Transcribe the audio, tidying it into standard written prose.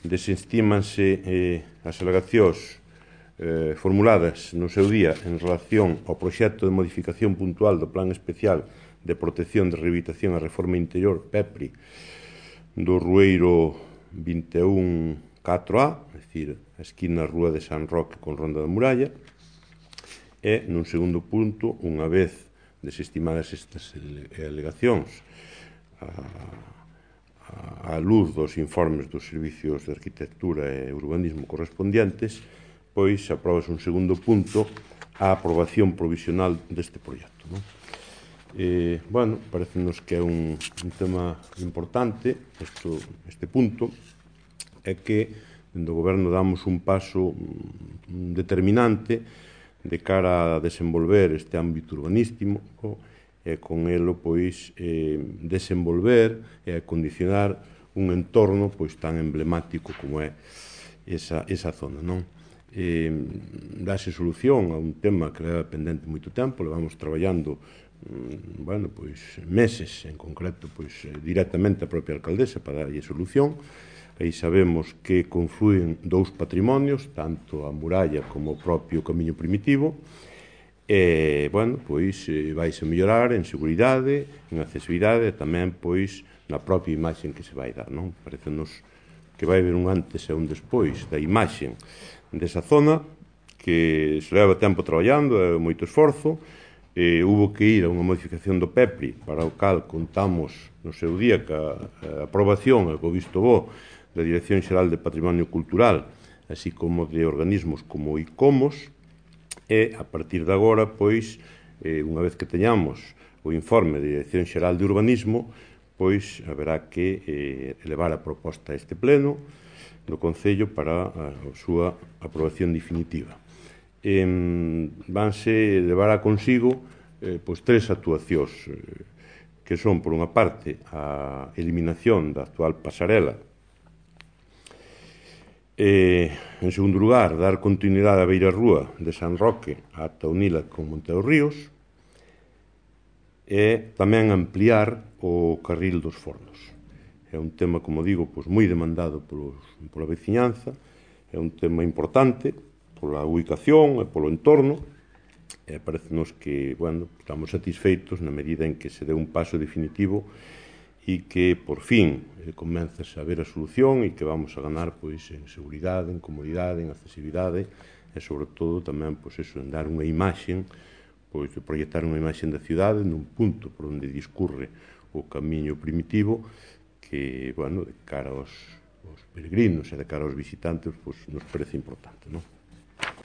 desestímanse as alegacións formuladas no seu día en relación ao proxecto de modificación puntual do Plan Especial de Protección de Rehabilitación e Reforma Interior, PEPRI, do Rueiro 21-4A, é dicir, a esquina Rúa de San Roque con Ronda da Muralla, e, nun segundo punto, unha vez desestimadas estas alegacións á luz dos informes dos servicios de arquitectura e urbanismo correspondientes, pois aprobase un segundo punto a aprobación provisional deste proxecto. Bueno, parecenos que é un tema importante este punto, é que dende o Goberno damos un paso determinante de cara a desenvolver este ámbito urbanístico e con elo pois desenvolver e acondicionar un entorno pois tan emblemático como é esa zona, non? Dase solución a un tema que leva pendente moito tempo, levamos traballando meses, en concreto directamente a propia alcaldesa para darlle solución. Aí sabemos que confluen dous patrimonios, tanto a muralla como o propio camiño primitivo, e, vaise mellorar en seguridade, en accesibilidade e tamén, na propia imaxe que se vai dar, non? Parecenos que vai haber un antes e un despois da imaxe desa zona, que se leva tempo traballando, é moito esforzo. Hubo que ir a unha modificación do PEPRI, para o cal contamos no seu día ca aprobación e co visto bo da Dirección Xeral de Patrimonio Cultural, así como de organismos como ICOMOS, e a partir de agora, unha vez que teñamos o informe da Dirección Xeral de Urbanismo, haberá que elevar a proposta a este pleno do Concello para a súa aprobación definitiva. Vanse levar a consigo tres actuacións que son, por unha parte, a eliminación da actual pasarela, en segundo lugar, dar continuidade á beirarrúa de San Roque ata unila con Monte dos Ríos, e tamén ampliar o carril dos Fornos. É un tema, como digo, moi demandado pola veciñanza, é un tema importante pola ubicación e polo entorno, e parecenos que, estamos satisfeitos na medida en que se dé un paso definitivo e que, por fin, comenzase a ver a solución e que vamos a ganar en seguridade, en comodidade, en accesibilidade e, sobre todo, tamén, en dar unha imaxe, de proyectar unha imaxe da cidade nun punto por onde discurre o camiño primitivo que, de cara aos peregrinos e de cara aos visitantes, nos parece importante, non?